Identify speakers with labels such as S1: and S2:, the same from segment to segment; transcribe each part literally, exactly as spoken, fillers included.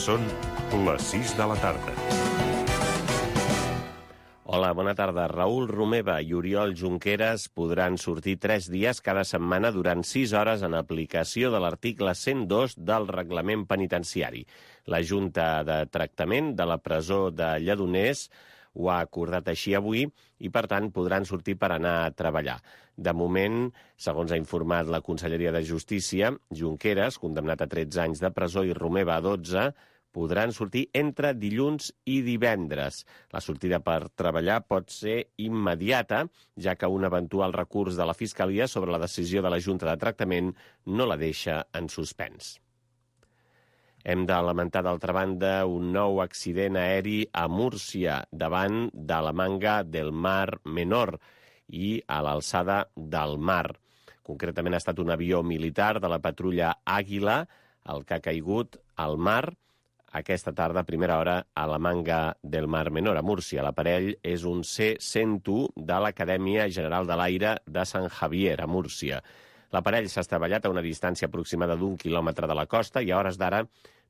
S1: Són les sis de la tarda.
S2: Hola, bona tarda. Raül Romeva i Oriol Junqueras podran sortir tres dies cada setmana durant sis hores en aplicació de l'article cent dos del reglament penitenciari. La Junta de Tractament de la presó de Lledoners ho ha acordat així avui i, per tant, podran sortir per anar a treballar. De moment, segons ha informat la Conselleria de Justícia, Junqueras, condemnat a tretze anys de presó, i Romeva a dotze, podran sortir entre dilluns i divendres. La sortida per treballar pot ser immediata, ja que un eventual recurs de la Fiscalia sobre la decisió de la Junta de Tractament no la deixa en suspens. Hem de lamentar, d'altra banda, un nou accident aeri a Múrcia, davant de la Manga del Mar Menor i a l'alçada del mar. Concretament ha estat un avió militar de la patrulla Àguila, el que ha caigut al mar aquesta tarda a primera hora a la Manga del Mar Menor, a Múrcia. L'aparell és un C cent u de l'Acadèmia General de l'Aire de Sant Javier, a Múrcia. L'aparell s'ha estavellat a una distància aproximada d'un quilòmetre de la costa i a hores d'ara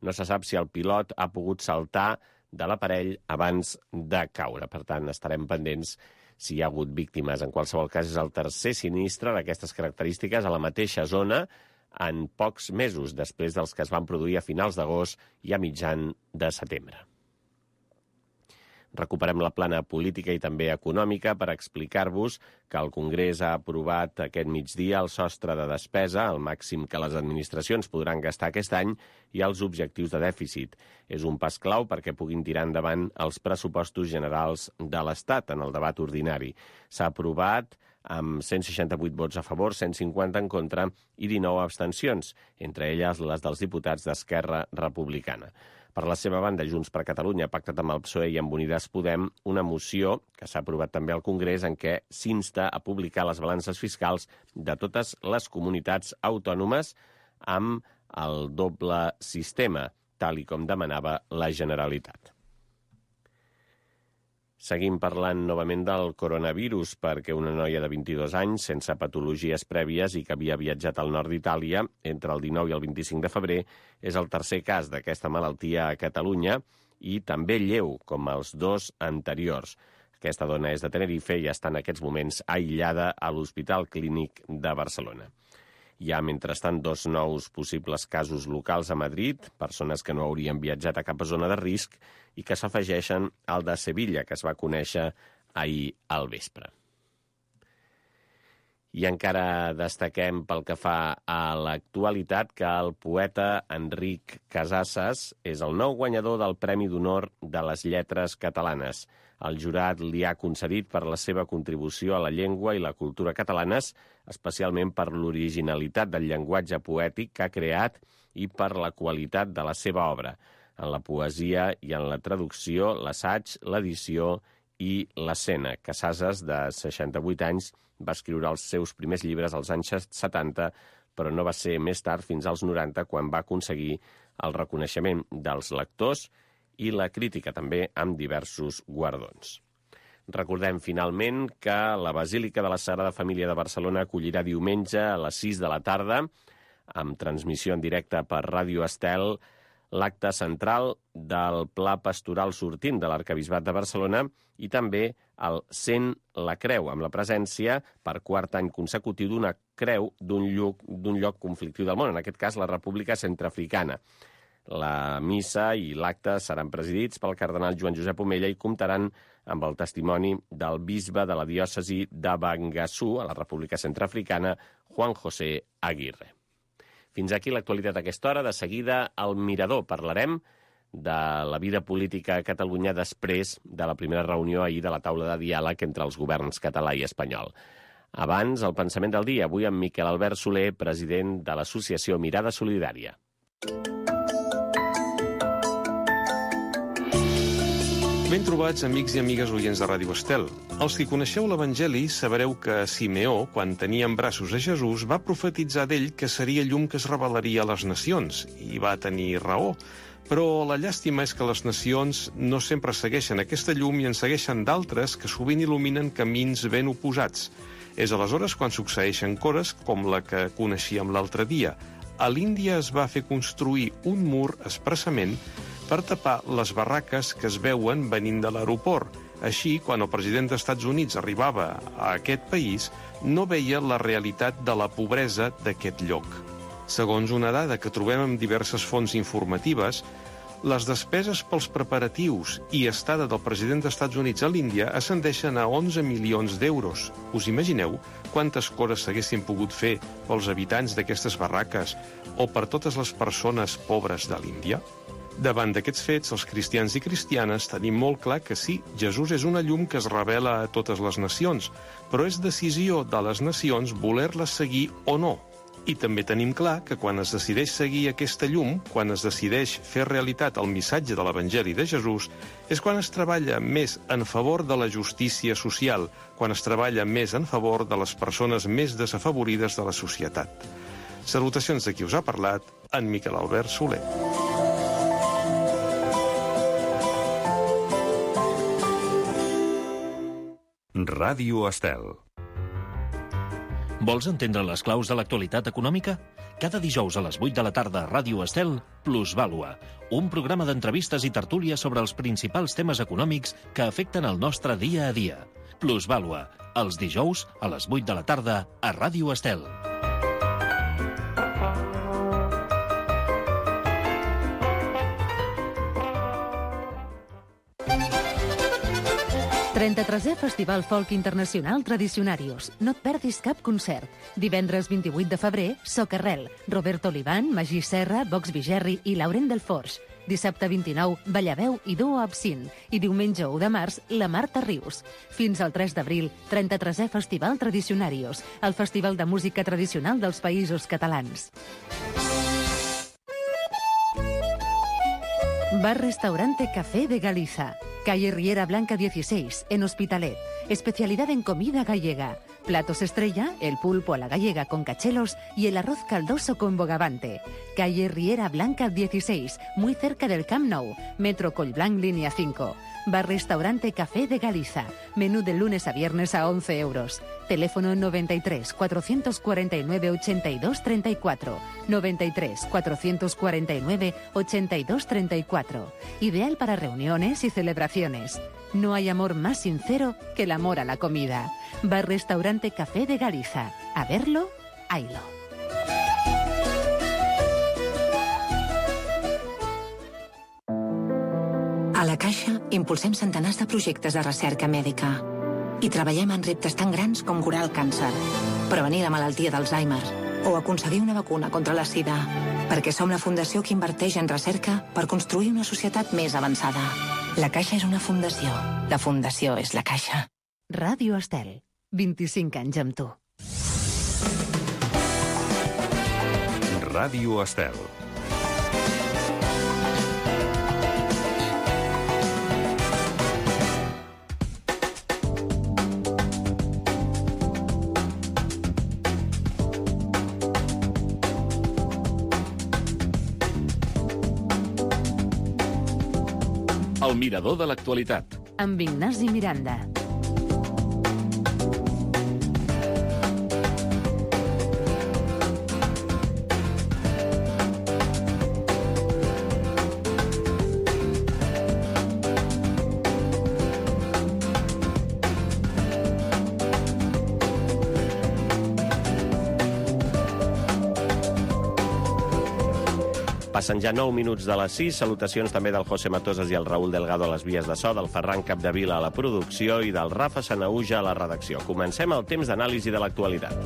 S2: no se sap si el pilot ha pogut saltar de l'aparell abans de caure. Per tant, estarem pendents si hi ha hagut víctimes. En qualsevol cas, és el tercer sinistre d'aquestes característiques a la mateixa zona en pocs mesos, després dels que es van produir a finals d'agost i a mitjan de setembre. Recuperem la plana política i també econòmica per explicar-vos que el Congrés ha aprovat aquest migdia el sostre de despesa, el màxim que les administracions podran gastar aquest any, i els objectius de dèficit. És un pas clau perquè puguin tirar endavant els pressupostos generals de l'Estat en el debat ordinari. S'ha aprovat amb cent seixanta-vuit vots a favor, cent cinquanta en contra i dinou abstencions, entre elles les dels diputats d'Esquerra Republicana. Per la seva banda, Junts per Catalunya ha pactat amb el P S O E i amb Unides Podem una moció que s'ha aprovat també al Congrés en què s'insta a publicar les balances fiscals de totes les comunitats autònomes amb el doble sistema, tal i com demanava la Generalitat. Seguim parlant novament del coronavirus perquè una noia de vint-i-dos anys, sense patologies prèvies i que havia viatjat al nord d'Itàlia entre el dinou i el vint-i-cinc de febrer, és el tercer cas d'aquesta malaltia a Catalunya i també lleu, com els dos anteriors. Aquesta dona és de Tenerife i està en aquests moments aïllada a l'Hospital Clínic de Barcelona. Hi ha, mentrestant, dos nous possibles casos locals a Madrid, persones que no haurien viatjat a cap zona de risc i que s'afegeixen al de Sevilla, que es va conèixer ahir al vespre. I encara destaquem pel que fa a l'actualitat que el poeta Enric Casasses és el nou guanyador del Premi d'Honor de les Lletres Catalanes. El jurat li ha concedit per la seva contribució a la llengua i la cultura catalanes, especialment per l'originalitat del llenguatge poètic que ha creat i per la qualitat de la seva obra, en la poesia i en la traducció, l'assaig, l'edició i l'escena. Casasses, de seixanta-vuit anys, va escriure els seus primers llibres als anys setanta, però no va ser més tard, fins als noranta, quan va aconseguir el reconeixement dels lectors i la crítica també amb diversos guardons. Recordem finalment que la Basílica de la Sagrada Família de Barcelona acollirà diumenge a les sis de la tarda, amb transmissió en directe per Ràdio Estel, l'acte central del Pla Pastoral sortint de l'Arquebisbat de Barcelona i també el Sent la Creu, amb la presència per quart any consecutiu d'una creu d'un lloc, d'un lloc conflictiu del món, en aquest cas la República Centreafricana. La missa i l'acte seran presidits pel cardenal Joan Josep Omella i comptaran amb el testimoni del bisbe de la diòcesi de Bangassou, a la República Centreafricana, Juan José Aguirre. Fins aquí l'actualitat a aquesta hora. De seguida, al Mirador parlarem de la vida política a Catalunya després de la primera reunió ahir de la taula de diàleg entre els governs català i espanyol. Abans, el pensament del dia, avui amb Miquel Albert Soler, president de l'associació Mirada Solidària.
S3: Ben trobats, amics i amigues oients de Ràdio Estel. Els que coneixeu l'Evangeli sabreu que Simeó, quan tenia en braços a Jesús, va profetitzar d'ell que seria llum que es revelaria a les nacions, i va tenir raó. Però la llàstima és que les nacions no sempre segueixen aquesta llum i en segueixen d'altres que sovint il·luminen camins ben oposats. És aleshores quan succeeixen coses com la que coneixíem l'altre dia. A l'Índia es va fer construir un mur expressament per tapar les barraques que es veuen venint de l'aeroport. Així, quan el president dels Estats Units arribava a aquest país, no veia la realitat de la pobresa d'aquest lloc. Segons una dada que trobem en diverses fonts informatives, les despeses pels preparatius i estada del president dels Estats Units a l'Índia ascendeixen a onze milions d'euros. Us imagineu quantes coses s'haguessin pogut fer pels habitants d'aquestes barraques o per totes les persones pobres de l'Índia? Davant d'aquests fets, els cristians i cristianes tenim molt clar que sí, Jesús és una llum que es revela a totes les nacions, però és decisió de les nacions voler-la seguir o no. I també tenim clar que quan es decideix seguir aquesta llum, quan es decideix fer realitat el missatge de l'Evangeli de Jesús, és quan es treballa més en favor de la justícia social, quan es treballa més en favor de les persones més desafavorides de la societat. Salutacions de qui us ha parlat, en Miquel Albert Soler.
S1: Ràdio Estel.
S4: Vols entendre les claus de l'actualitat econòmica? Cada dijous a les vuit de la tarda a Ràdio Estel, Plusvàlua, un programa d'entrevistes i tertúlies sobre els principals temes econòmics que afecten el nostre dia a dia. Plusvàlua, els dijous a les vuit de la tarda a Ràdio Estel.
S5: trenta-tresè Festival Folk Internacional Tradicionarius. No et perdis cap concert. Divendres vint-i-vuit de febrer, Socarrel, Roberto Olivan, Magí Serra, Vox Vigerri i Laurent Delforge. Dissabte vint-i-nou, Ballaveu i Duo Absint. I diumenge u de març, la Marta Rius. Fins al tres d'abril, trenta-tresè Festival Tradicionarius, el festival de música tradicional dels Països Catalans. Bar-restaurante Café de Galiza. Calle Riera Blanca dieciséis, en Hospitalet. Especialidad en comida gallega. Platos estrella, el pulpo a la gallega con cachelos y el arroz caldoso con bogavante. Calle Riera Blanca dieciséis, muy cerca del Camp Nou. Metro Collblanc, línea cinco. Bar-restaurante Café de Galiza. Menú de lunes a viernes a once euros. Teléfono noventa y tres, cuatrocientos cuarenta y nueve, ochenta y dos, treinta y cuatro. noventa y tres, cuatrocientos cuarenta y nueve, ochenta y dos, treinta y cuatro. Ideal para reuniones y celebraciones. No hay amor más sincero que el amor a la comida. Bar-restaurante Café de Galiza. A verlo, haylo.
S6: A la Caixa impulsem centenars de projectes de recerca mèdica i treballem en reptes tan grans com curar el càncer, prevenir la malaltia d'Alzheimer o aconseguir una vacuna contra la sida, perquè som la fundació que inverteix en recerca per construir una societat més avançada. La Caixa és una fundació. La fundació és la Caixa.
S5: Ràdio Estel. vint-i-cinc anys amb tu.
S1: Ràdio Estel.
S4: El mirador de l'actualitat.
S5: Amb Ignasi Miranda.
S2: Passen ja nou minuts de les sis. Salutacions també del José Matosas i el Raúl Delgado a les vies de so, del Ferran Capdevila a la producció i del Rafa Sanaúja a la redacció. Comencem el temps d'anàlisi de l'actualitat.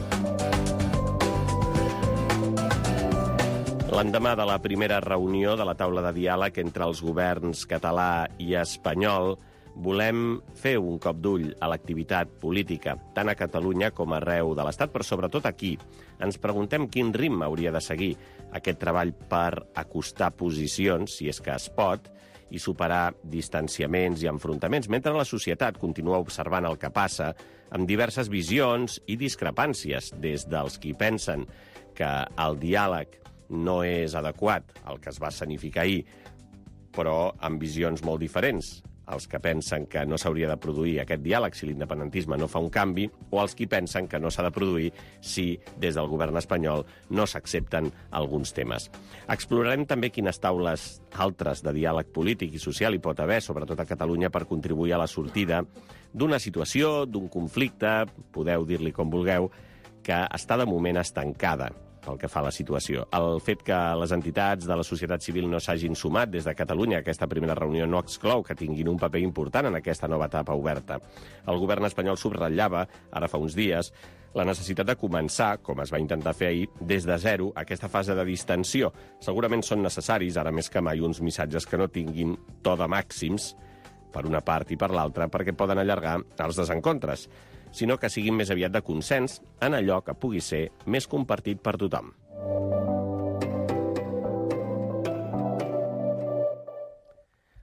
S2: L'endemà de la primera reunió de la taula de diàleg entre els governs català i espanyol, volem fer un cop d'ull a l'activitat política, tant a Catalunya com arreu de l'Estat, però sobretot aquí. Ens preguntem quin ritme hauria de seguir aquest treball per acostar posicions, si és que es pot, i superar distanciaments i enfrontaments, mentre la societat continua observant el que passa amb diverses visions i discrepàncies, des dels qui pensen que el diàleg no és adequat, el que es va escenificar ahir, però amb visions molt diferents, els que pensen que no s'hauria de produir aquest diàleg si l'independentisme no fa un canvi, o els qui pensen que no s'ha de produir si des del govern espanyol no s'accepten alguns temes. Explorarem també quines taules altres de diàleg polític i social hi pot haver, sobretot a Catalunya, per contribuir a la sortida d'una situació, d'un conflicte, podeu dir-li com vulgueu, que està de moment estancada pel que fa a la situació. El fet que les entitats de la societat civil no s'hagin sumat des de Catalunya a aquesta primera reunió no exclou que tinguin un paper important en aquesta nova etapa oberta. El govern espanyol subratllava, ara fa uns dies, la necessitat de començar, com es va intentar fer ahir, des de zero, aquesta fase de distensió. Segurament són necessaris, ara més que mai, uns missatges que no tinguin to de màxims, per una part i per l'altra, perquè poden allargar els desencontres, sinó que siguin més aviat de consens en allò que pugui ser més compartit per tothom.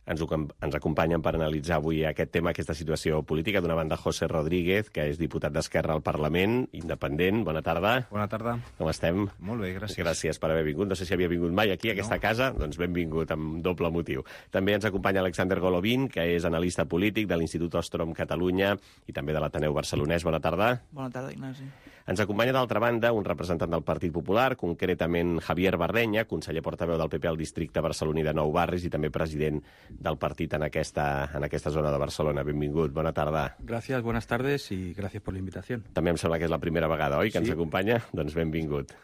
S2: Ens, ens acompanyen per analitzar avui aquest tema, aquesta situació política. D'una banda, José Rodríguez, que és diputat d'Esquerra al Parlament, independent. Bona tarda.
S7: Bona tarda.
S2: Com estem?
S7: Molt bé, gràcies.
S2: Gràcies per haver vingut. No sé si havia vingut mai aquí, a aquesta no. casa. Doncs benvingut, amb doble motiu. També ens acompanya Alexander Golovin, que és analista polític de l'Institut Ostrom Catalunya i també de l'Ateneu Barcelonès. Bona tarda.
S8: Bona tarda, Ignasi.
S2: Ens acompanya, d'altra banda, un representant del Partit Popular, concretament Javier Barreña, conseller portaveu del P P al districte barceloní de Nou Barris i també president del partit en aquesta, en aquesta zona de Barcelona. Benvingut, bona tarda.
S7: Gracias, buenas tardes y gracias por la invitación.
S2: També em sembla que és la primera vegada, oi, que sí. ens acompanya? Doncs benvingut.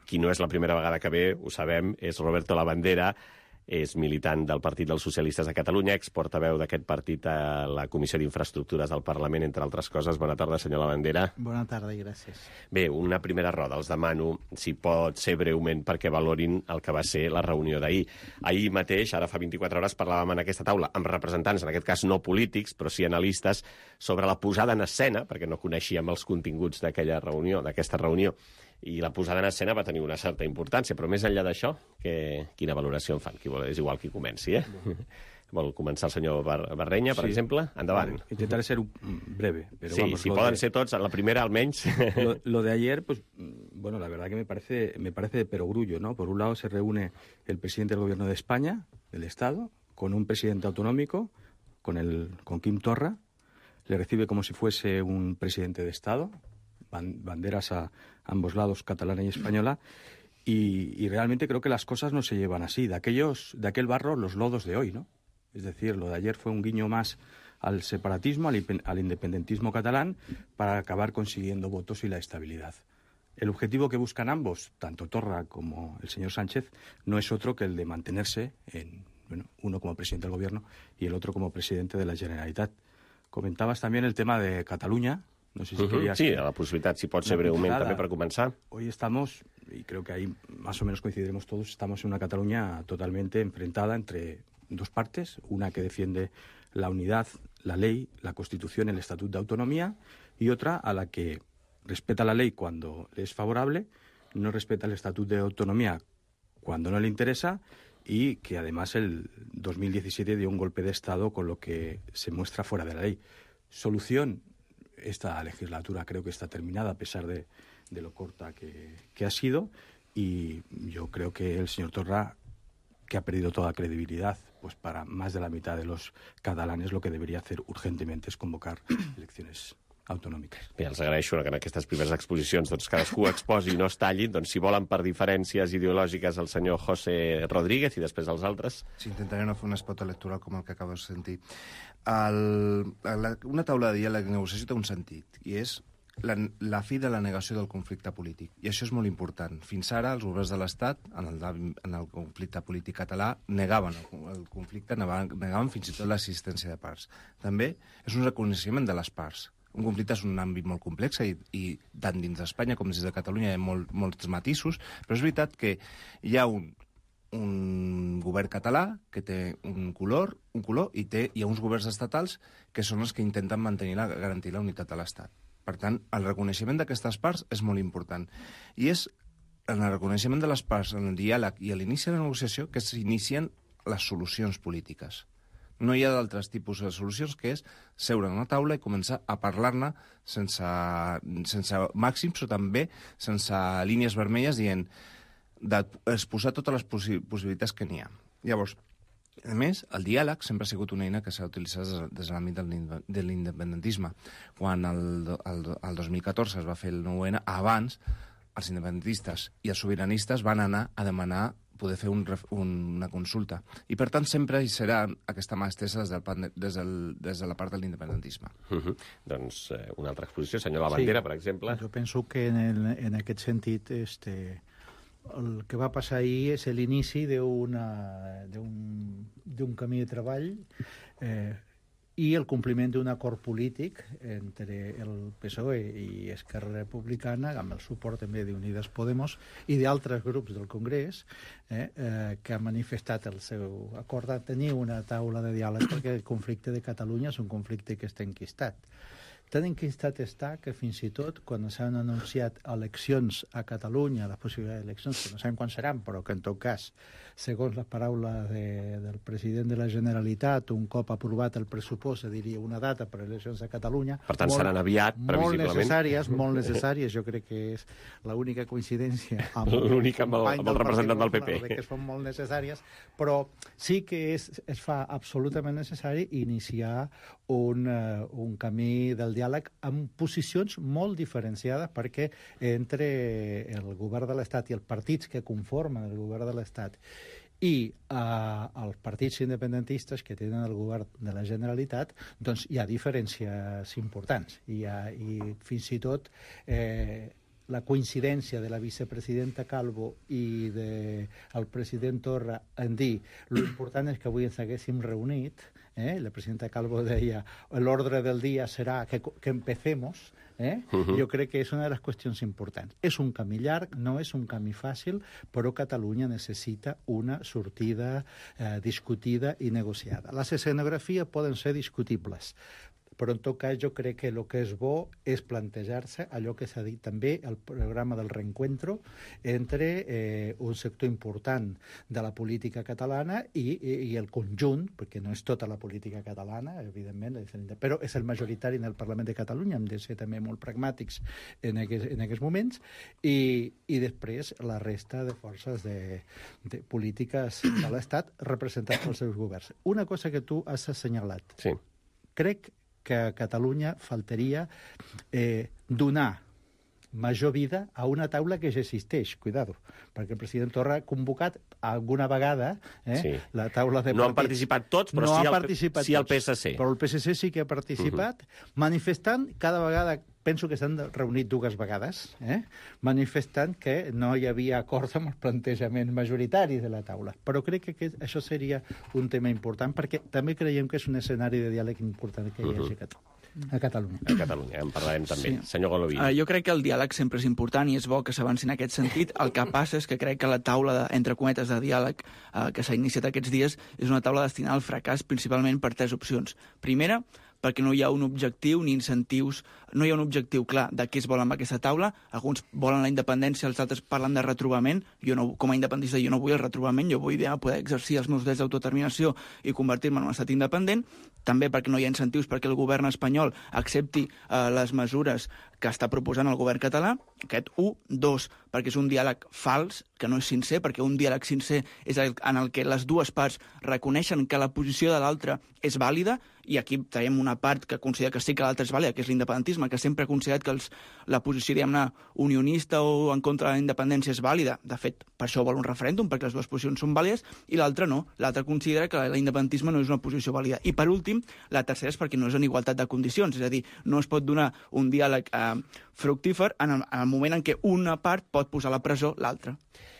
S2: Qui no és la primera vegada que ve, ho sabem, és Roberto Labandera, és militant del Partit dels Socialistes de Catalunya, exportaveu d'aquest partit a la Comissió d'Infraestructures del Parlament, entre altres coses. Bona tarda, senyor Labandera.
S8: Bona tarda i gràcies.
S2: Bé, una primera roda. Els demano, si pot ser breument, perquè valorin el que va ser la reunió d'ahir. Ahir mateix, ara fa vint-i-quatre hores, parlàvem en aquesta taula amb representants, en aquest cas no polítics, però sí analistes, sobre la posada en escena, perquè no coneixíem els continguts d'aquella reunió, d'aquesta reunió, i la posada en escena va tenir una certa importància, però més enllà d'això, que, quina valoració en fan? Qui vol, és igual qui comenci, eh? Vol començar el senyor Bar Barreña, per sí. exemple? Endavant.
S7: Vale. Intentaré ser breve. Pero
S2: sí,
S7: vamos,
S2: si poden
S7: de...
S2: ser tots, la primera almenys.
S7: Lo, lo de ayer, pues, bueno, la verdad que me parece, me parece de perogrullo, ¿no? Por un lado se reúne el presidente del Gobierno de España, del Estado, con un presidente autonómico, con, el, con Quim Torra, le recibe como si fuese un presidente de Estado, banderas a ambos lados, catalana y española, y, y realmente creo que las cosas no se llevan así. De aquellos, de aquel barro, los lodos de hoy, ¿no? Es decir, lo de ayer fue un guiño más al separatismo, al, al independentismo catalán, para acabar consiguiendo votos y la estabilidad. El objetivo que buscan ambos, tanto Torra como el señor Sánchez, no es otro que el de mantenerse, en, bueno, uno como presidente del Gobierno y el otro como presidente de la Generalitat. Comentabas también el tema de Cataluña. No sé si
S2: uh-huh.
S7: querías...
S2: Sí, a la possibilitat, si pot ser breument, també per començar.
S7: Hoy estamos, y creo que ahí más o menos coincidiremos todos, estamos en una Cataluña totalmente enfrentada entre dos partes, una que defiende la unidad, la ley, la Constitución, el Estatuto de Autonomía, y otra a la que respeta la ley cuando le es favorable, no respeta el Estatuto de Autonomía cuando no le interesa, y que además el dos mil diecisiete dio un golpe de Estado con lo que se muestra fuera de la ley. Solución: esta legislatura creo que está terminada, a pesar de, de lo corta que, que ha sido, y yo creo que el señor Torra, que ha perdido toda credibilidad, pues para más de la mitad de los catalanes, lo que debería hacer urgentemente es convocar elecciones autonòmiques.
S2: Bé, els agraeixo que en aquestes primeres exposicions doncs, cadascú exposi i no es tallin. Doncs, si volen per diferències ideològiques el senyor José Rodríguez i després els altres.
S9: Sí, intentaré no fer un espot electoral com el que acabes de sentir. El, la, una taula de diàleg i negociació té un sentit, i és la, la fi de la negació del conflicte polític. I això és molt important. Fins ara, els governs de l'Estat, en, el, en el conflicte polític català, negaven el, el conflicte, negaven, negaven fins i tot l'assistència de parts. També és un reconeixement de les parts. Un conflicte és un àmbit molt complex i, i tant dins d'Espanya com dins de Catalunya hi ha molt, molts matisos, però és veritat que hi ha un, un govern català que té un color, un color i té, hi ha uns governs estatals que són els que intenten mantenir la, garantir la unitat de l'Estat. Per tant, el reconeixement d'aquestes parts és molt important. I és en el reconeixement de les parts, en el diàleg i a l'inici de la negociació que s'inicien les solucions polítiques. No hi ha d'altres tipus de solucions que és seure en una taula i començar a parlar-ne sense, sense màxims o també sense línies vermelles dient d'exposar totes les possi possibilitats que n'hi ha. Llavors, A més, el diàleg sempre ha sigut una eina que s'ha utilitzat des de l'àmbit de l'independentisme. Quan el, el, el dos mil catorze es va fer el nou ene, abans els independentistes i els sobiranistes van anar a demanar poder fer un, un, una consulta. I, per tant, sempre hi serà aquesta mà estesa des, del, des, del, des de la part de l'independentisme.
S2: Uh -huh. Doncs eh, una altra exposició, senyor Labandera,
S8: sí,
S2: per exemple.
S8: Jo penso que en, el, en aquest sentit este, el que va passar ahir és l'inici d'un camí de treball eh, i el compliment d'un acord polític entre el P S O E i Esquerra Republicana, amb el suport també d'Unides Podemos i d'altres grups del Congrés, eh, eh, que han manifestat el seu acord de tenir una taula de diàleg perquè el conflicte de Catalunya és un conflicte que està enquistat. Tan enquistat està que fins i tot quan s'han anunciat eleccions a Catalunya, les possibilitats d'eleccions, que no sabem quan seran, però que en tot cas, segons les paraules de, del president de la Generalitat, un cop aprovat el pressupost, se diria una data per a eleccions a Catalunya.
S2: Per tant,
S8: molt,
S2: seran aviat, previsiblement.
S8: Molt necessàries, molt necessàries. Jo crec que és l'única coincidència amb,
S2: l'única amb, el, amb el representant del P P.
S8: Que són molt necessàries, però sí que és, es fa absolutament necessari iniciar un, uh, un camí del diàleg amb posicions molt diferenciades, perquè entre el govern de l'Estat i els partits que conformen el govern de l'Estat i eh, els partits independentistes que tenen el govern de la Generalitat, doncs hi ha diferències importants. Hi ha, i fins i tot eh, la coincidència de la vicepresidenta Calvo i del de president Torra en dir l'important és que avui ens haguéssim reunit. Eh? La presidenta Calvo deia l'ordre del dia serà que, que empecemos. Eh? Uh-huh. Jo crec que és una de les qüestions importants. És un camí llarg, no és un camí fàcil, però Catalunya necessita una sortida eh, discutida i negociada. Les escenografies poden ser discutibles, però en tot cas jo crec que el que és bo és plantejar-se allò que s'ha dit també al programa del reencuentro entre eh, un sector important de la política catalana i, i, i el conjunt, perquè no és tota la política catalana, evidentment, però és el majoritari en el Parlament de Catalunya, hem de ser també molt pragmàtics en aquests, en aquests moments, i, i després la resta de forces de, de polítiques de l'Estat representats pels seus governs. Una cosa que tu has assenyalat.
S2: Sí.
S8: Crec que a Catalunya faltaria eh, donar major vida a una taula que ja existeix, cuidado, perquè el president Torra ha convocat alguna vegada eh,
S2: sí.
S8: la taula de partits.
S2: No han participat tots, però
S8: no
S2: sí, el,
S8: participat
S2: sí el P S C.
S8: Tots, però el P S C sí que ha participat, uh-huh. manifestant cada vegada, penso que s'han reunit dues vegades, eh, manifestant que no hi havia acord amb els plantejaments majoritaris de la taula. Però crec que aquest, això seria un tema important, perquè també creiem que és un escenari de diàleg important que hi hagi uh-huh. a Catalunya.
S2: A Catalunya, en parlarem també. Sí. Senyor Goloví.
S10: Uh, jo crec que el diàleg sempre és important i és bo que s'avanci en aquest sentit. El que passa és que crec que la taula, de, entre cometes, de diàleg uh, que s'ha iniciat aquests dies és una taula destinada al fracàs principalment per tres opcions. Primera, perquè no hi ha un objectiu ni incentius, no hi ha un objectiu clar de què es vol amb aquesta taula. Alguns volen la independència, els altres parlen de retrobament. Jo no, com a independentista jo no vull el retrobament, jo vull poder exercir els meus drets d'autodeterminació i convertir-me en un estat independent. També perquè no hi ha incentius perquè el govern espanyol accepti eh, les mesures que està proposant el govern català. Aquest un. Dos, perquè és un diàleg fals, que no és sincer, perquè un diàleg sincer és el, en el que les dues parts reconeixen que la posició de l'altra és vàlida, i aquí tenim una part que considera que sí que l'altra és vàlida, que és l'independentisme, que sempre ha considerat que els, la posició, diguem-ne, unionista o en contra de la independència és vàlida. De fet, per això vol un referèndum, perquè les dues posicions són vàlides, i l'altra no. L'altra considera que l'independentisme no és una posició vàlida. I, per últim, la tercera és perquè no és en igualtat de condicions, és a dir, no es pot donar un diàleg eh, fructífer en el, en el moment en què una part pot posar a la presó l'altra.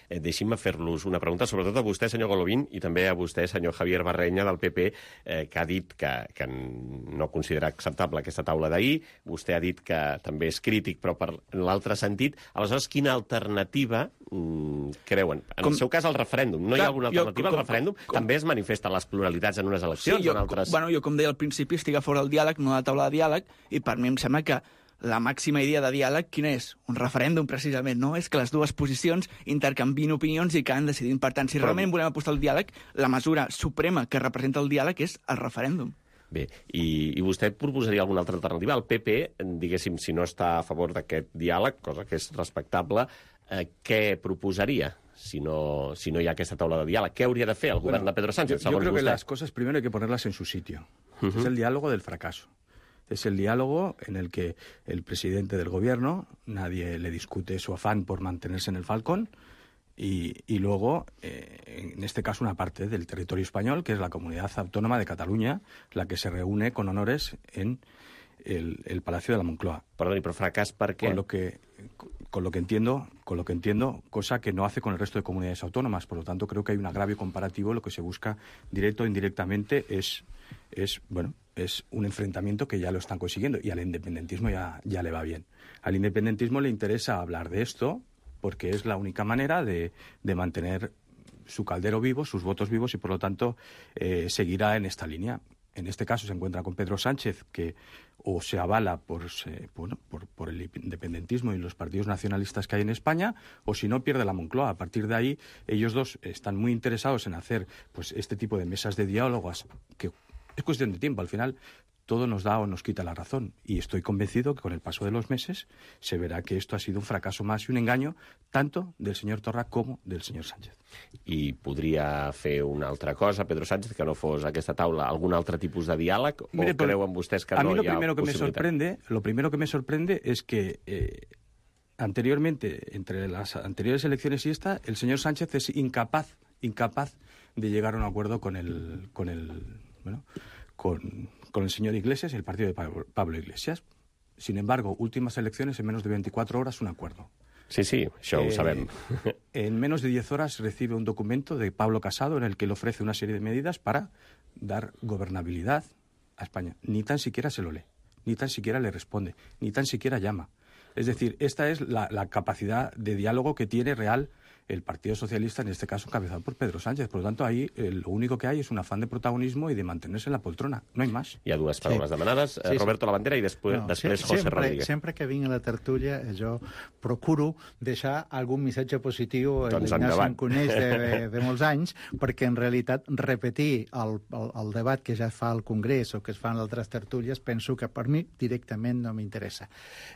S2: Eh, Deixin-me fer-los una pregunta, sobretot a vostè, senyor Golovín, i també a vostè, senyor Javier Barrenya, del P P, eh, que ha dit que, que no considera acceptable aquesta taula d'ahir. Vostè ha dit que també és crític, però per l'altre sentit. Aleshores, quina alternativa mm, creuen? En com... el seu cas, el referèndum. No Clar, hi ha alguna alternativa jo, com, al referèndum? Com... També es manifesten les pluralitats en unes eleccions?
S10: Sí, jo,
S2: en altres...
S10: bueno, jo, com deia al principi, estic a fora del diàleg, no de la taula de diàleg, i per mi em sembla que la màxima idea de diàleg, quina és? Un referèndum, precisament, no? És que les dues posicions intercanvien opinions i que han decidit. Per tant, si Però... realment volem apostar al diàleg, la mesura suprema que representa el diàleg és el referèndum.
S2: Bé, i, i vostè proposaria alguna altra alternativa? El P P, diguéssim, si no està a favor d'aquest diàleg, cosa que és respectable, eh, què proposaria? si no, si no hi ha aquesta taula de diàleg? Què hauria de fer el govern
S7: bueno,
S2: de Pedro Sánchez,
S7: yo,
S2: segons
S7: yo creo
S2: vostè?
S7: que las cosas primero hay que ponerlas en su sitio.
S2: Uh-huh.
S7: Es el diálogo del fracaso. Es el diálogo en el que el presidente del gobierno, nadie le discute su afán por mantenerse en el Falcón, y, y luego, eh, en este caso, una parte del territorio español, que es la comunidad autónoma de Cataluña, la que se reúne con honores en el, el Palacio de la Moncloa.
S2: Perdoni, però fracàs per què?
S7: Con lo que, con lo que entiendo, con lo que entiendo, cosa que no hace con el resto de comunidades autónomas. Por lo tanto, creo que hay un agravio comparativo. Lo que se busca, directo o indirectamente, es, es bueno, es un enfrentamiento que ya lo están consiguiendo, y al independentismo ya, ya le va bien. Al independentismo le interesa hablar de esto porque es la única manera de, de mantener su caldero vivo, sus votos vivos, y por lo tanto eh, seguirá en esta línea. En este caso se encuentra con Pedro Sánchez, que o se avala por, eh, bueno, por, por el independentismo y los partidos nacionalistas que hay en España, o si no, pierde la Moncloa. A partir de ahí, ellos dos están muy interesados en hacer pues este tipo de mesas de diálogos, que es cuestión de tiempo. Al final, todo nos da o nos quita la razón. Y estoy convencido que con el paso de los meses se verá que esto ha sido un fracaso más y un engaño, tanto del señor Torra como del señor Sánchez.
S2: I podria fer una altra cosa, Pedro Sánchez, que no fos aquesta taula, algun altre tipus de diàleg, o
S7: Mire,
S2: creuen vostès que
S7: a
S2: no
S7: mí lo
S2: hi ha
S7: primero que me
S2: possibilitat?
S7: sorprende, lo primero que me sorprende es que eh, anteriormente, entre las anteriores elecciones y esta, el señor Sánchez es incapaz, incapaz de llegar a un acuerdo con el, con el, bueno, con, con el señor Iglesias y el partido de Pablo, Pablo Iglesias. Sin embargo, últimas elecciones, en menos de veinticuatro horas, un acuerdo.
S2: Sí, sí, això ho
S7: Eh,
S2: sabem.
S7: En menos de diez horas recibe un documento de Pablo Casado en el que le ofrece una serie de medidas para dar gobernabilidad a España. Ni tan siquiera se lo lee, ni tan siquiera le responde, ni tan siquiera llama. Es decir, esta es la, la capacidad de diálogo que tiene real el Partido Socialista, en este caso encabezado por Pedro Sánchez. Por lo tanto, ahí eh, lo único que hay es un afán de protagonismo y de mantenerse en la poltrona. No hay más.
S2: Hi ha dues paraules
S8: Sí.
S2: demanades.
S8: Sí, sí.
S2: Roberto Labandera i després,
S8: No,
S2: després
S8: se-
S2: José
S8: sempre,
S2: Rodríguez.
S8: Sempre que vinc a la tertúlia jo procuro deixar algun missatge positiu a
S2: Doncs
S8: l'Ignasi
S2: endavant.
S8: em coneix de, de, de molts anys, perquè en realitat repetir el, el, el debat que ja es fa al Congrés o que es fa en altres tertúlies penso que per mi directament no m'interessa.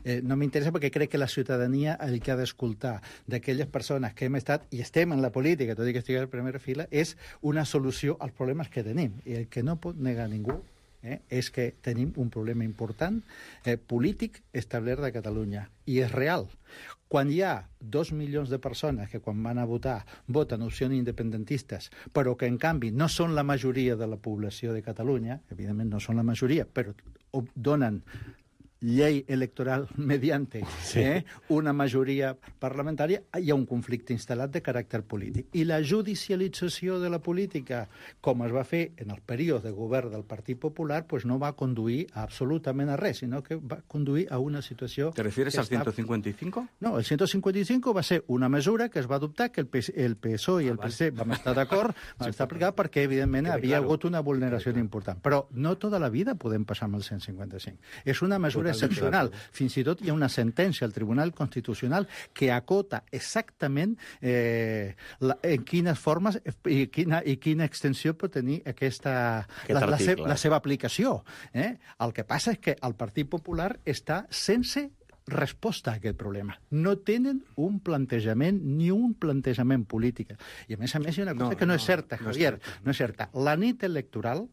S8: Eh, no m'interessa perquè crec que la ciutadania el que ha d'escoltar d'aquelles persones que hem estat i estem en la política, tot i que estigui a la primera fila, és una solució als problemes que tenim. I el que no pot negar ningú eh, és que tenim un problema important eh, polític establert de Catalunya. I és real. Quan hi ha dos milions de persones que quan van a votar voten opcions independentistes, però que en canvi no són la majoria de la població de Catalunya, evidentment no són la majoria, però donen llei electoral mediante eh, una majoria parlamentària, hi ha un conflicte instal·lat de caràcter polític. I la judicialització de la política, com es va fer en el període de govern del Partit Popular, pues no va conduir a absolutament a res, sinó que va conduir a una situació...
S7: ¿Te refieres
S8: que
S7: al ciento cincuenta y cinco?
S8: No, el ciento cincuenta y cinco va ser una mesura que es va adoptar, que el, P S el P S O E i el P S C vam estar d'acord, vam estar aplicat perquè, evidentment,
S7: Quede
S8: havia
S7: claro.
S8: hagut una vulneració important. Però no tota la vida podem passar amb el cent cinquanta i cinc. És una mesura
S7: Totalmente
S8: excepcional.
S7: d'acord.
S8: Fins i tot hi ha una sentència al Tribunal Constitucional que acota exactament eh, la, en quines formes i quina, i quina extensió pot tenir aquesta,
S2: Aquest
S8: la, la, se,
S2: article.
S8: la seva aplicació. Eh? El que passa és que el Partit Popular està sense resposta a aquest problema. No tenen un plantejament ni un plantejament polític. I a més a més hi ha una cosa
S7: No,
S8: que no,
S7: no,
S8: és certa,
S7: no és
S8: Javier,
S7: certa.
S8: no és certa. La nit electoral,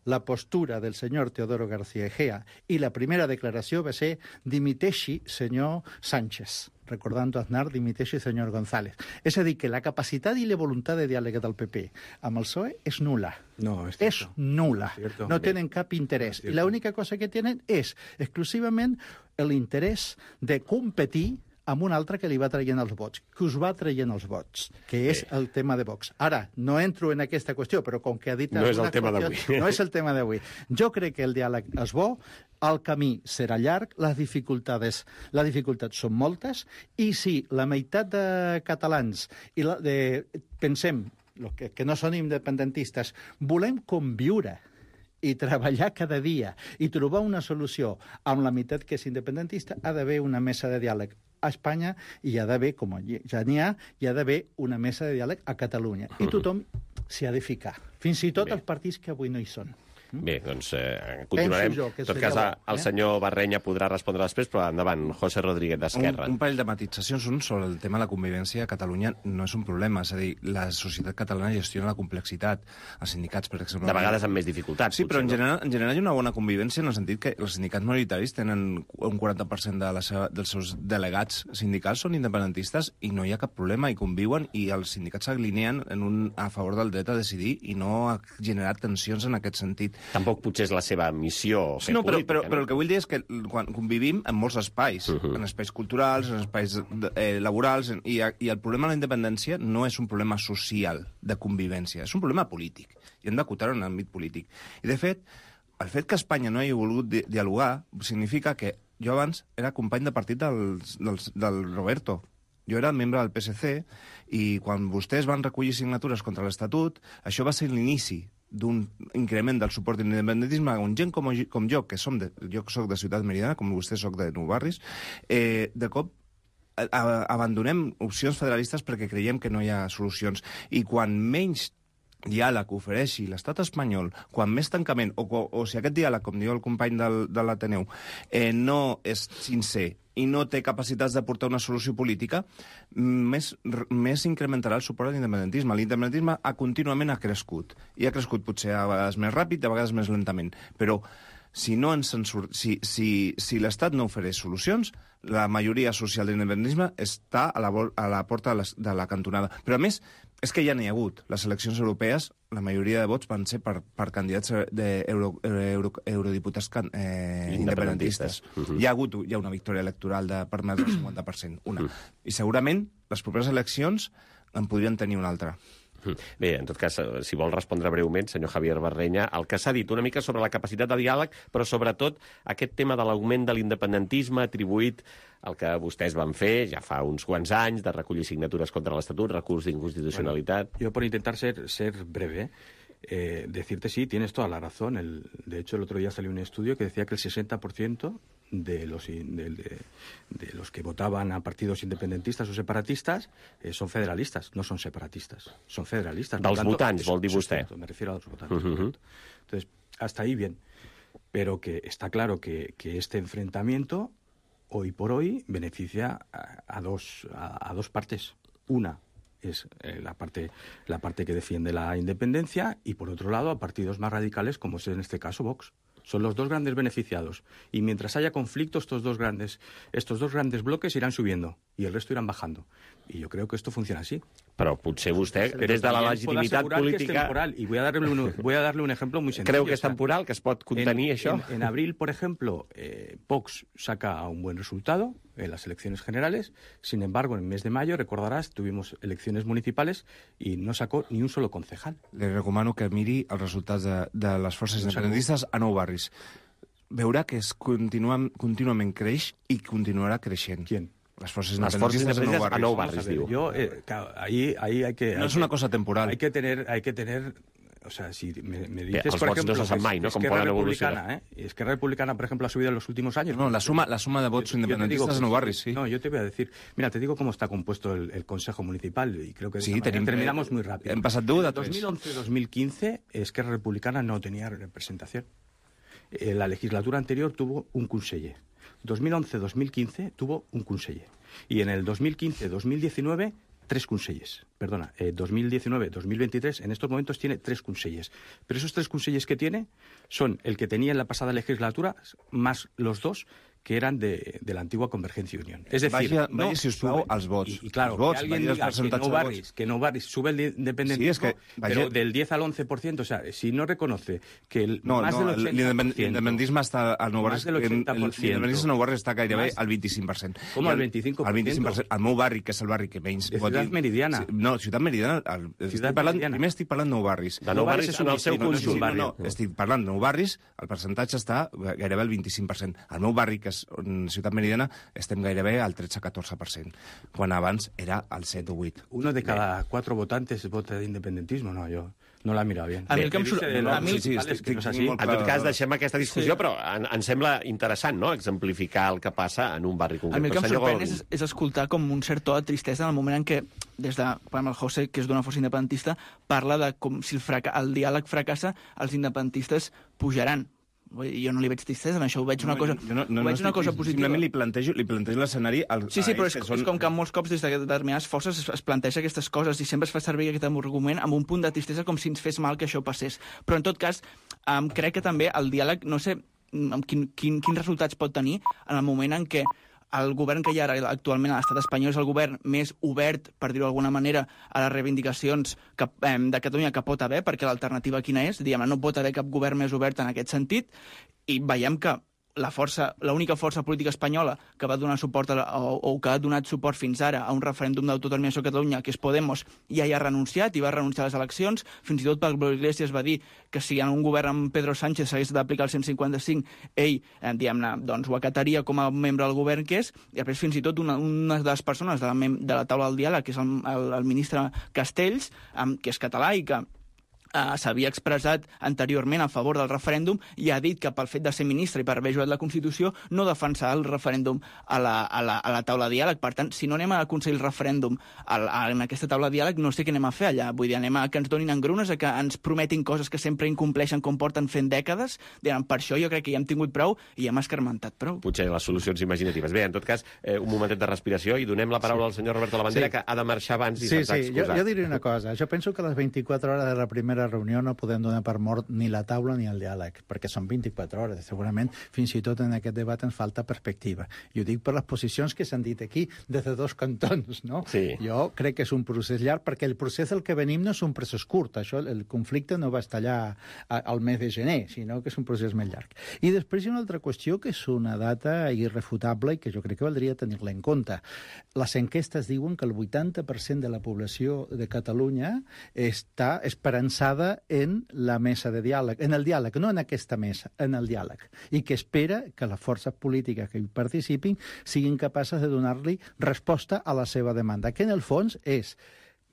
S8: la postura del senyor Teodoro García Egea i la primera declaració va ser dimiteixi senyor Sánchez, recordant Aznar, dimiteixi senyor González. És a dir, que la capacitat i la voluntat de diàleg del P P amb el P S O E és nula.
S7: No, es
S8: És
S7: cierto.
S8: nula.
S7: Es cierto.
S8: No
S7: Bé.
S8: tenen cap interès.
S7: Es
S8: I l'única cosa que tenen és exclusivament l'interès de competir amb un altre que li va traient els vots, que us va traient els vots, que és el tema de Vox. Ara, no entro en aquesta qüestió, però com que ha dit...
S2: No és el
S8: alguna
S2: tema
S8: qüestió-
S2: d'avui.
S8: No és el tema d'avui. Jo crec que el diàleg és bo, el camí serà llarg, les dificultats, les dificultats són moltes, i si la meitat de catalans, i la, de, pensem, los que, que no són independentistes, volem conviure i treballar cada dia i trobar una solució amb la meitat que és independentista, ha d'haver una mesa de diàleg a Espanya i hi ha d'haver, com ja n'hi ha, hi ha d'haver una mesa de diàleg a Catalunya. I tothom s'hi ha de ficar. Fins i tot
S2: Bé.
S8: els partits que avui no hi són.
S2: Bé, doncs eh, continuarem.
S8: jo que
S2: En tot
S8: seria
S2: cas,
S8: bo,
S2: el
S8: eh?
S2: senyor Barrenya podrà respondre després, però endavant, José Rodríguez, d'Esquerra.
S9: Un, un parell de matitzacions. Un, sobre el tema de la convivència a Catalunya no és un problema. És a dir, la societat catalana gestiona la complexitat. Els sindicats, per exemple...
S2: De vegades amb més dificultats.
S9: Sí, però en
S2: potser,
S9: general, en general hi ha una bona convivència en el sentit que els sindicats majoritaris tenen un quaranta per cent de la seva, dels seus delegats sindicals són independentistes i no hi ha cap problema, i conviuen, i els sindicats s'alineen en un, a favor del dret a decidir i no ha generat tensions en aquest sentit.
S2: Tampoc potser és la seva missió fer
S9: no, però,
S2: política.
S9: però,
S2: no?
S9: però el que vull dir és que quan convivim en molts espais, uh -huh. en espais culturals, en espais eh, laborals, en, i, i el problema de la independència no és un problema social de convivència, és un problema polític, i hem d'acotar-ho en l'àmbit polític. I, de fet, el fet que Espanya no hagi volgut di dialogar significa que jo abans era company de partit del, del, del Roberto. Jo era membre del P S C i quan vostès van recollir signatures contra l'Estatut, això va ser l'inici d'un increment del suport a l'independentisme on gent com, com jo, que som de, jo soc de Ciutat Meridiana, com vostè soc de Nou Barris, eh, de cop a, a, abandonem opcions federalistes perquè creiem que no hi ha solucions. I quan menys diàleg ofereixi l'estat espanyol, quan més tancament, o, o, o si aquest diàleg, com diu el company del, de l'Ateneu, eh, no és sincer i no té capacitats de portar una solució política, més, més incrementarà el suport a l'independentisme. L'independentisme ha, contínuament ha crescut, i ha crescut potser a vegades més ràpid, a vegades més lentament, però si, no ens en sur... si, si, si l'Estat no ofereix solucions, la majoria social de l'independentisme està a la, a la porta de la, de la cantonada. Però, a més, és que ja n'hi ha hagut. Les eleccions europees, la majoria de vots van ser per, per candidats d'eurodiputats euro, eh, independentistes. Uh -huh. Hi ha hagut hi ha una victòria electoral de per més del cinquanta per cent, una. Uh -huh. I segurament les properes eleccions en podrien tenir una altra.
S2: Bé, en tot cas, si vol respondre breument, senyor Javier Barrenya, el que s'ha dit una mica sobre la capacitat de diàleg, però sobretot aquest tema de l'augment de l'independentisme atribuït al que vostès van fer ja fa uns quants anys, de recollir signatures contra l'Estatut, recurs d'inconstitucionalitat...
S7: Bueno, yo por intentar ser, ser breve, eh, decirte sí, tienes toda la razón. El, de hecho, el otro día salió un estudio que decía que el sesenta por ciento de los, de, de, de los que votaban a partidos independentistas o separatistas eh, son federalistas, no son separatistas, son federalistas.
S2: Dels votants, vol dir vostè.
S7: Me refiero a los votantes.
S2: Uh -huh.
S7: Entonces, hasta ahí bien. Pero que está claro que, que este enfrentamiento, hoy por hoy, beneficia a, a, dos, a, a dos partes. Una es eh, la parte la parte que defiende la independencia y, por otro lado, a partidos más radicales, como es en este caso Vox. Son los dos grandes beneficiados. Y mientras haya conflicto, estos dos grandes, estos dos grandes bloques irán subiendo y el resto irán bajando. Y yo creo que esto funciona así.
S2: Però potser vostè, Pero des de la legitimitat política...
S7: Y voy a, darle un, voy a darle un ejemplo muy sencillo.
S2: Creu que és temporal, que es pot contenir
S7: en,
S2: això?
S7: En, en abril, por ejemplo, eh, Vox saca un buen resultado en las elecciones generales. Sin embargo, en el mes de mayo, recordarás, tuvimos elecciones municipales y no sacó ni un solo concejal.
S9: Le recomano que miri els resultats de, de les forces independentistes a Nou Barris. Veurà que es continua, contínuament creix i continuarà creixent.
S7: ¿Quién?
S9: Las fuerzas
S2: Las fuerzas
S9: independentistas
S2: a Nou Barris, diu.
S7: Yo, eh, claro, ahí, ahí hay que...
S9: No
S7: hay
S9: es
S7: que,
S9: una cosa temporal.
S7: Hay que tener... Hay que tener o sea, si me, me dices,
S2: Bé, els
S7: por
S2: vots
S7: ejemplo,
S2: no se sap mai, no? Com
S7: Esquerra
S2: poden evolucionar.
S7: Republicana, ¿eh? Esquerra Republicana, por ejemplo, ha subido en los últimos años.
S9: No, la suma, la suma de votos independentistas en Nou Barris, sí.
S7: No, yo te voy a decir... Mira, te digo cómo está compuesto el, el Consejo Municipal y creo que
S9: sí, tenim,
S7: terminamos muy rápido.
S9: Hem passat d'un de
S7: dos mil once dos mil quince, Esquerra Republicana no tenía representación. Eh, la legislatura anterior tuvo un conseller. dos mil once dos mil quince tuvo un conseller. Y en el dos mil quince dos mil diecinueve, tres consellers. Perdona, eh, dos mil diecinueve dos mil veintitrés, en estos momentos tiene tres consellers. Pero esos tres consellers que tiene son el que tenía en la pasada legislatura, más los dos que eran de, de la antigua Convergencia y Unión. Es decir,
S9: vaya,
S7: no
S9: vaya si us plau, als vots.
S7: Y, y claro,
S9: els vots,
S7: que alguien diga que no, Barris, que no Barris sube el independentismo,
S9: sí, es que,
S7: pero del diez al once por ciento, o sea, si no reconoce que el,
S9: no,
S7: más
S9: no,
S7: del ochenta por ciento...
S9: L'independentisme està al Nou Barris...
S7: Más del ochenta por ciento.
S9: L'independentisme al Nou Barris està gairebé
S7: Más,
S9: al vint-i-cinc per cent.
S7: Com al vint-i-cinc per cent?
S9: Al vint-i-cinc per cent. Al meu barri, que és el barri que menys...
S7: De Ciutat Meridiana.
S9: No, Ciutat Meridiana... El,
S7: Ciutat
S9: parlant,
S7: Meridiana.
S9: Primer estic parlant Nou Barris.
S2: De Nou Barris en el seu conjunt.
S9: No, no, no, estic parlant de Nou Barris, el percentatge està gairebé al vint-i-cinc per cent. Al meu barri, que és Ciutat Meridiana, estem gairebé al tretze a catorze per cent, quan abans era al set o vuit.
S7: Uno de cada cuatro votantes vota de independentismo, no, yo... no la mira bien.
S10: A mi el que em surt...
S3: No,
S10: a mi...
S3: sí, sí,
S7: Vale,
S3: estic,
S7: és que no és
S3: estic
S7: així.
S3: molt
S2: En
S3: clar.
S2: tot cas, deixem aquesta discussió,
S10: Sí.
S2: però en, ens sembla interessant, no?, exemplificar el que passa en un barri concret.
S10: A mi el que em
S2: Però, senyor
S10: sorprèn
S2: Goldin,
S10: és, és escoltar com un cert to de tristesa en el moment en què, des de, per exemple, el José, que és d'una força independentista, parla de com si el, fraca el diàleg fracassa, els independentistes pujaran. Vull dir, jo no li veig tristesa en això, ho veig una cosa,
S9: jo no, no,
S10: ho veig
S9: no
S10: una cosa positiva.
S9: Simplement li plantejo, li plantejo l'escenari... Al,
S10: Sí, sí,
S9: a
S10: però
S9: ells
S10: és,
S9: que són...
S10: és com que molts cops des de determinades forces es, es planteja aquestes coses i sempre es fa servir aquest argument amb un punt de tristesa com si ens fes mal que això passés. Però, en tot cas, um, crec que també el diàleg, no sé um, quin, quin, quins resultats pot tenir en el moment en què el govern que hi ha ara actualment a l'estat espanyol és el govern més obert, per dir-ho d'alguna manera, a les reivindicacions que, eh, de Catalunya que pot haver, perquè l'alternativa quina és? Diguem, no pot haver cap govern més obert en aquest sentit, i veiem que la força, l'única força política espanyola que va donar suport a la, o, o que ha donat suport fins ara a un referèndum d'autodeterminació a Catalunya, que és Podemos, ja hi ha renunciat i va renunciar a les eleccions. Fins i tot Pablo Iglesias va dir que si en un govern amb Pedro Sánchez s'hagués d'aplicar el cent cinquanta cinc, ell, eh, diguem-ne, doncs ho acataria com a membre del govern que és, i després fins i tot una, una de les persones de la, de la taula del diàleg, que és el, el, el ministre Castells, eh, que és català i que Uh, s'havia expressat anteriorment a favor del referèndum i ha dit que pel fet de ser ministre i per haver ajudat la Constitució no defensar el referèndum a la, a la, a la taula de diàleg. Per tant, si no anem a aconseguir el referèndum a, a, en aquesta taula de diàleg, no sé què anem a fer allà. Vull dir, anem a que ens donin engrunes, a que ens prometin coses que sempre incompleixen com porten fent dècades. Diguem, per això jo crec que ja hem tingut prou i hem escarmentat prou.
S2: potser les solucions imaginatives. Bé, en tot cas, eh, un momentet de respiració i donem la paraula sí. al senyor Roberto Labandera,
S8: Sí.
S2: que ha de marxar abans i
S8: Sí,
S2: se'ns ha
S8: sí, jo,
S2: excusat.
S8: jo diré una cosa. Jo penso que les vint-i-quatre hores de la primera reunió no podem donar per mort ni la taula ni el diàleg, perquè són vint-i-quatre hores. Segurament, fins i tot en aquest debat ens falta perspectiva. I ho dic per les posicions que s'han dit aquí des de dos cantons, no?
S2: Sí.
S8: Jo crec que és un procés llarg, perquè el procés del que venim no és un procés curt. Això, el conflicte no va estar allà al mes de gener, sinó que és un procés més llarg. I després hi ha una altra qüestió, que és una data irrefutable i que jo crec que valdria tenir-la en compte. Les enquestes diuen que el vuitanta per cent de la població de Catalunya està esperançada en la mesa de diàleg, en el diàleg, no en aquesta mesa, en el diàleg, i que espera que les forces polítiques que hi participin siguin capaces de donar-li resposta a la seva demanda, que en el fons és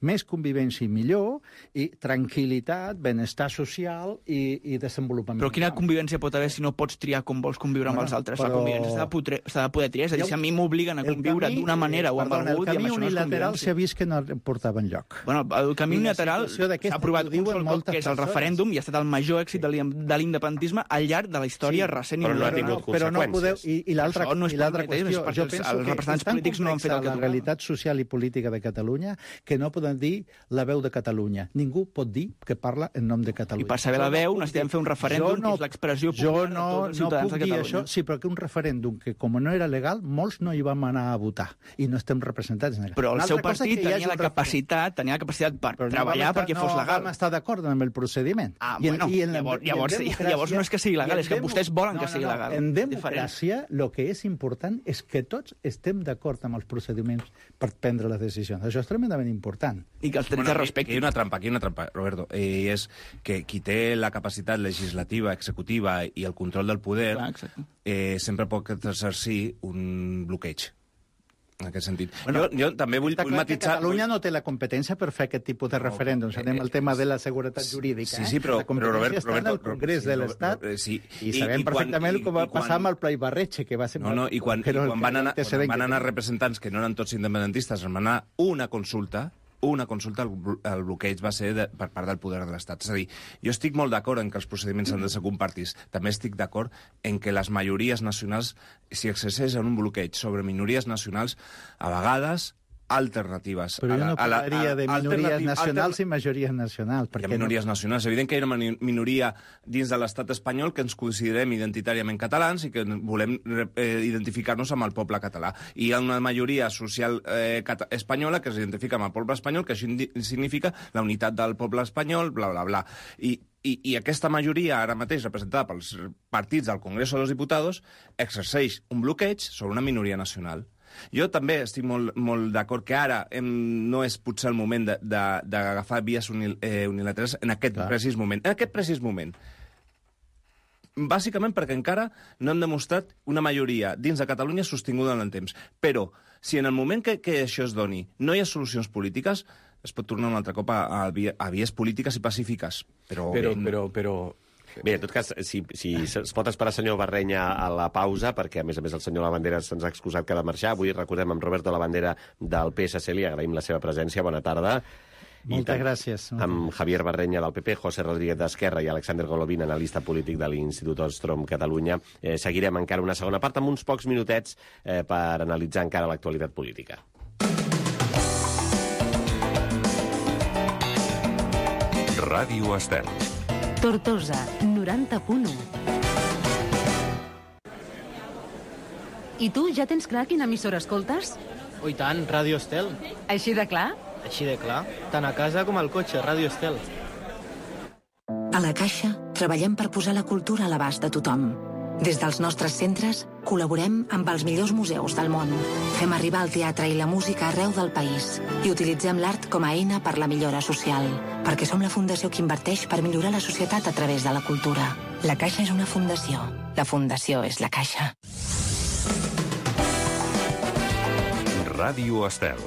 S8: més convivència i millor, i tranquil·litat, benestar social i, i desenvolupament.
S10: Però quina convivència pot haver si no pots triar com vols conviure amb
S8: Bueno,
S10: els altres?
S8: però-
S10: La convivència s'ha de, poder, s'ha de poder triar. És a dir, si a mi m'obliguen a conviure d'una manera o amb
S8: perdona,
S10: algú,
S8: el camí
S10: diguem, això no és
S8: unilateral
S10: convivència.
S8: s'ha vist que no portava enlloc.
S10: Bueno, el camí
S8: I la
S10: unilateral
S8: situació d'aquesta
S10: s'ha aprovat
S8: ho
S10: un
S8: diuen
S10: sol cop,
S8: moltes
S10: que és el
S8: persones.
S10: referèndum, i ha estat el major èxit de l'in- de l'independentisme al llarg de la història
S8: Sí,
S10: recent i
S2: però no ha
S10: moderna.
S2: tingut
S8: però no podeu...
S2: conseqüències.
S8: I, i l'altra
S10: Això no és
S8: i l'altra
S10: per mateix,
S8: qüestió,
S10: perquè
S8: jo
S10: els-
S8: penso
S10: els
S8: que
S10: representants
S8: és tan
S10: polítics no han fet el que
S8: complexa la
S10: tocava.
S8: realitat social i política de Catalunya que no poden dir la veu de Catalunya. Ningú pot dir que parla en nom de Catalunya.
S10: I per saber la veu necessitem fer un referèndum,
S8: Jo no-
S10: que és l'expressió
S8: Jo
S10: popular de
S8: no,
S10: tots els
S8: no
S10: ciutadans
S8: puc
S10: de
S8: dir
S10: Catalunya.
S8: això, sí, però que un referèndum que com no era legal, molts no hi vam anar a votar i no estem representats en el...
S10: Però el
S8: Una
S10: seu
S8: altra cosa
S10: partit
S8: que hi hagi
S10: tenia la
S8: un referèndum.
S10: capacitat, tenia la capacitat per
S8: Però no
S10: treballar
S8: vam estar,
S10: perquè fos
S8: no
S10: legal.
S8: vam estar d'acord amb el procediment.
S10: Ah,
S8: I en-
S10: bueno,
S8: i en la-
S10: llavors,
S8: i en
S10: llavors,
S8: democràcia-
S10: llavors no és que sigui
S8: i
S10: legal,
S8: en
S10: és que
S8: demo-
S10: vostès volen
S8: no,
S10: que
S8: no,
S10: sigui
S8: no.
S10: legal.
S8: En
S10: Diferent.
S8: democràcia, el que és important és que tots estem d'acord amb els procediments per prendre les decisions. Això és tremendament important.
S10: I que els drets
S9: Bueno,
S10: es
S9: aquí
S10: respectin.
S9: hi ha una trampa, aquí hi ha una trampa, Roberto, eh, i és que qui té la capacitat legislativa, executiva i el control del poder
S10: Clar, exacte.
S9: eh, sempre pot exercir un bloqueig, en aquest sentit. Bueno, jo, jo també vull,
S8: Està
S9: vull
S8: clar que
S9: matitzar...
S8: Catalunya no té la competència per fer aquest tipus de referèndums.
S9: eh,
S8: Anem al tema de la seguretat jurídica.
S9: Sí, sí, però,
S8: la competència
S9: però Robert,
S8: està
S9: Roberto,
S8: en el Congrés
S9: sí,
S8: de
S9: Robert,
S8: l'Estat
S9: Robert, sí.
S8: i sabem perfectament
S9: quan-
S8: com va
S9: i quan-
S8: passar amb el Pla Ibarretxe, que va ser...
S9: No, no, i quan, i
S8: que era el
S9: quan van anar, quan
S8: antecedent
S9: van
S8: que
S9: anar
S8: tenia.
S9: representants que no eren tots independentistes, van anar una consulta, una consulta, el, blo- el bloqueig va ser de, per part del poder de l'Estat. És a dir, jo estic molt d'acord en que els procediments han de ser compartits. També estic d'acord en que les majories nacionals, si exerceixen un bloqueig sobre minories nacionals, a vegades alternatives.
S8: Però
S9: a
S8: jo
S9: la-
S8: no
S9: a la-
S8: parlaria
S9: a-
S8: de minories
S9: alternativ-
S8: nacionals
S9: altern-
S8: i majories nacionals.
S9: Hi ha
S8: perquè
S9: minories
S8: no...
S9: nacionals. És evident que hi ha una mani- minoria dins de l'estat espanyol que ens considerem identitàriament catalans i que volem eh, identificar-nos amb el poble català. I hi ha una majoria social eh, cata- espanyola que s'identifica amb el poble espanyol, que això indi- significa la unitat del poble espanyol, bla, bla, bla. I, i, i aquesta majoria, ara mateix representada pels partits del Congreso de los Diputados, exerceix un bloqueig sobre una minoria nacional. Jo també estic molt, molt d'acord que ara hem, no és potser el moment de- de- d'agafar vies unil, eh, unilaterals en aquest
S8: Clar.
S9: precís moment. En aquest precís moment. Bàsicament perquè encara no hem demostrat una majoria dins de Catalunya sostinguda en el temps. Però si en el moment que, que això es doni no hi ha solucions polítiques, es pot tornar un altre cop a, a, a vies polítiques i pacífiques. Però,
S7: Però, però, però...
S2: Bé, en tot cas, si, si es pot esperar senyor Barrenya a la pausa, perquè a més a més el senyor Lavandera se'ns ha excusat que ha de marxar. Avui recordem amb Roberto Lavandera del P S C, li agraïm la seva presència. Bona tarda.
S8: Moltes gràcies.
S2: Amb Javier Barrenya del P P, José Rodríguez d'Esquerra i Alexander Golovin, analista polític de l'Institut Ostrom Catalunya. Eh, seguirem encara una segona part amb uns pocs minutets eh, per analitzar encara l'actualitat política.
S1: Ràdio Estel.
S5: Tortosa, noranta punt u. I tu, ja tens clar quina emissora escoltes?
S11: Oh, i tant, Ràdio Estel.
S5: Així de clar?
S11: Així de clar. Tant a casa com al cotxe, Ràdio Estel.
S6: A la Caixa treballem per posar la cultura a l'abast de tothom. Des dels nostres centres col·laborem amb els millors museus del món. Fem arribar el teatre i la música arreu del país i utilitzem l'art com a eina per la millora social, perquè som la fundació que inverteix per millorar la societat a través de la cultura. La Caixa és una fundació. La fundació és la Caixa.
S1: Ràdio Estel.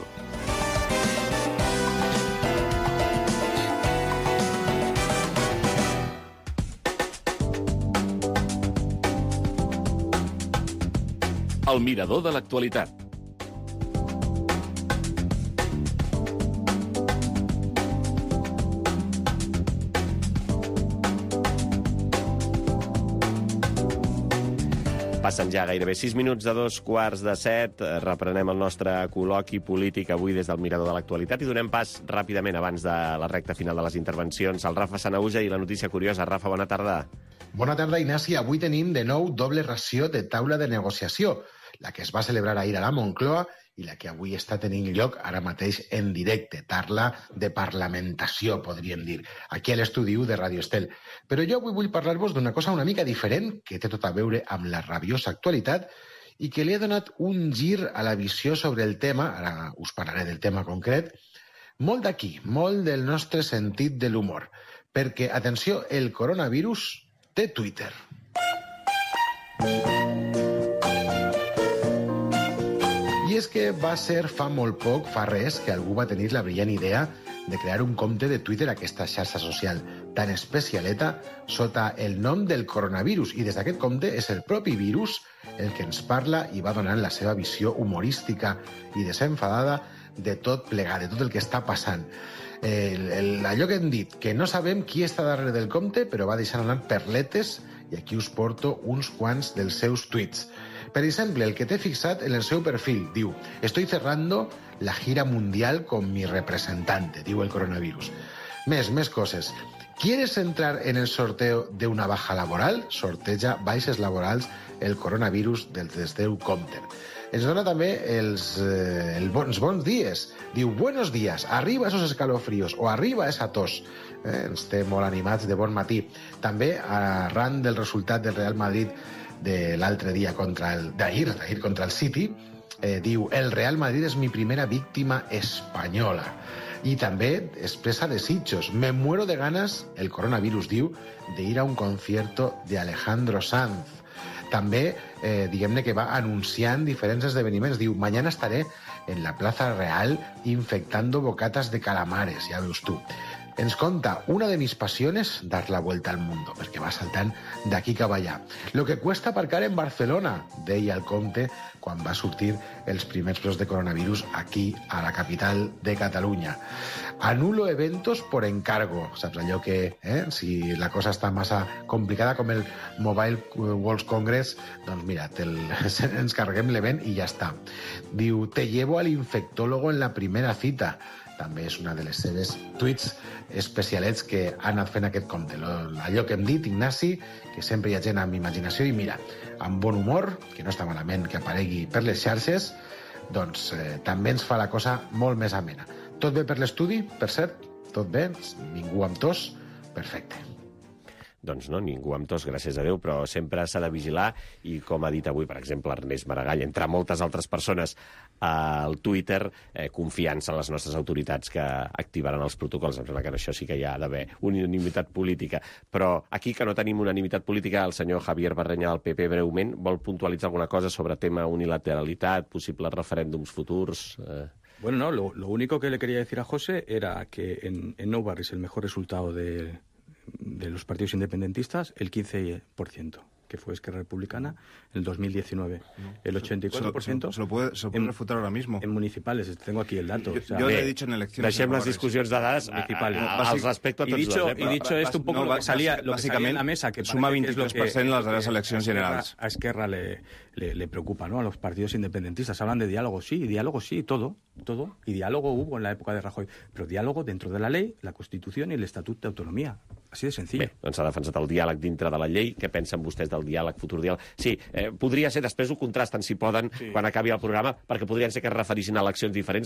S4: El mirador de l'actualitat.
S2: Passen ja gairebé sis minuts de dos quarts de set. Reprenem el nostre col·loqui polític avui des del mirador de l'actualitat i donem pas ràpidament, abans de la recta final de les intervencions, al Rafa Sanahuja i la notícia curiosa. Rafa, bona tarda.
S12: Bona tarda, Ignasi. Avui tenim de nou doble ració de taula de negociació, la que es va celebrar ahir a la Moncloa i la que avui està tenint lloc ara mateix en directe. Taula de parlamentació, podríem dir, aquí a l'estudi u de Ràdio Estel. Però jo avui vull parlar-vos d'una cosa una mica diferent, que té tot a veure amb la rabiosa actualitat i que li ha donat un gir a la visió sobre el tema, ara us parlaré del tema concret, molt d'aquí, molt del nostre sentit de l'humor. Perquè, atenció, el coronavirus té Twitter. I és que va ser fa molt poc, fa res, que algú va tenir la brillant idea de crear un compte de Twitter a aquesta xarxa social tan especialeta sota el nom del coronavirus. I des d'aquest compte és el propi virus el que ens parla i va donant la seva visió humorística i desenfadada de tot plegat, de tot el que està passant. El, el, allò que hem dit, que no sabem qui està darrere del compte, però va deixant anar perletes, i aquí us porto uns quants dels seus tuits. Per exemple, el que té fixat en el seu perfil, diu: «Estoy cerrando la gira mundial con mi representante», diu el coronavirus. Més, més coses. ¿Quieres entrar en el sorteo de una baja laboral? Sorteja baixes laborals el coronavirus del teu compte. Ens dona també els, eh, els bons, bons dies. Diu: «Buenos días, arriba esos escalofríos» o «arriba esa tos». Eh, ens té molt animats de bon matí. També, arran del resultat del Real Madrid de l'altre dia contra el... d'ahir, d'ahir contra el City, eh, diu: «El Real Madrid és mi primera víctima espanyola». I també expressa desitjos. «Me muero de ganas», el coronavirus diu, «de ir a un concierto de Alejandro Sanz». També, eh, diguem-ne que va anunciant diferents esdeveniments. Diu: «Mañana estaré en la Plaza Real infectando bocatas de calamares», ja veus tu. Ens conta: «Una de mis pasiones, dar la vuelta al mundo», perquè va saltant d'aquí cap allà. «Lo que cuesta aparcar en Barcelona», deia el compte quan va sortir els primers brots de coronavirus aquí, a la capital de Catalunya. «Anulo eventos por encargo», saps allò que, eh, si la cosa està massa complicada com el Mobile World Congress, doncs mira, el, ens carreguem l'event i ja està. Diu: «Te llevo al infectólogo en la primera cita». També és una de les seves tuits especialets que ha anat fent aquest compte. Allò que hem dit, Ignasi, que sempre hi ha gent amb imaginació i mira, amb bon humor, que no està malament que aparegui per les xarxes, doncs eh, també ens fa la cosa molt més amena. Tot bé per l'estudi, per cert? Tot bé? Ningú amb tos? Perfecte.
S2: Doncs no, ningú amb tos, gràcies a Déu, però sempre s'ha de vigilar i, com ha dit avui, per exemple, Ernest Maragall, entre moltes altres persones al Twitter, eh, confiança en les nostres autoritats que activaran els protocols. Em sembla que això sí que hi ha d'haver unanimitat política. Però aquí, que no tenim unanimitat política, el senyor Javier Barrenya del P P, breument, vol puntualitzar alguna cosa sobre tema unilateralitat, possibles referèndums futurs... Eh...
S7: Bueno, no, lo, lo único que le quería decir a José era que en, en Nou Barris el mejor resultado de, de los partidos independentistas, el quince por ciento. Que fue Esquerra Republicana, en el dos mil diecinueve. No. El ochenta y cuatro por ciento...
S9: Se, se, se lo puede, se lo puede en, refutar ahora mismo.
S7: En municipales, tengo aquí el dato.
S9: Yo,
S7: o sea,
S9: yo le he dicho en elecciones...
S2: Deixem les discussions de dades municipales. Al respecte a tots
S7: y dicho,
S2: dos. Eh?
S7: Y dicho esto un poco no, lo que salía, lo que salía en la mesa, que
S9: suma veintitrés por ciento en las darreres eleccions generals.
S7: A Esquerra le, le, le preocupa, ¿no?, a los partidos independentistas. Hablan de diálogo, sí, diálogo, sí, todo, todo. Y diálogo hubo en la época de Rajoy. Pero diálogo dentro de la ley, la Constitución y el Estatut d'Autonomia. Así de sencillo.
S2: Bé, doncs s'ha defensat el diàleg dintre de la llei. Què pensen vostès del diàleg, futur diàleg? Sí, eh, podria ser, després ho contrasten, si poden, sí. quan acabi el programa, perquè podrien ser que es referissin a eleccions diferents,